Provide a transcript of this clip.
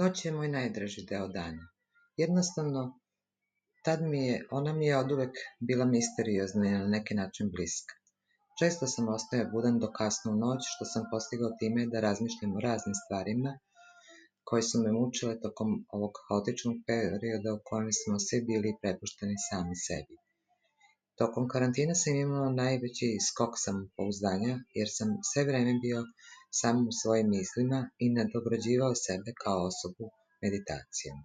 Noć je moj najdraži deo dana. Jednostavno, ona mi je oduvek bila misteriozna i na neki način bliska. Često sam ostajao budan do kasno u noć, što sam postigao time da razmišljam o raznim stvarima koje su me mučile tokom ovog haotičnog perioda u kojem smo svi bili prepušteni sami sebi. Tokom karantina sam imao najveći skok samopouzdanja, jer sam sve vreme bio sam u svojim mislima i nadograđivao sebe kao osobu meditacijom.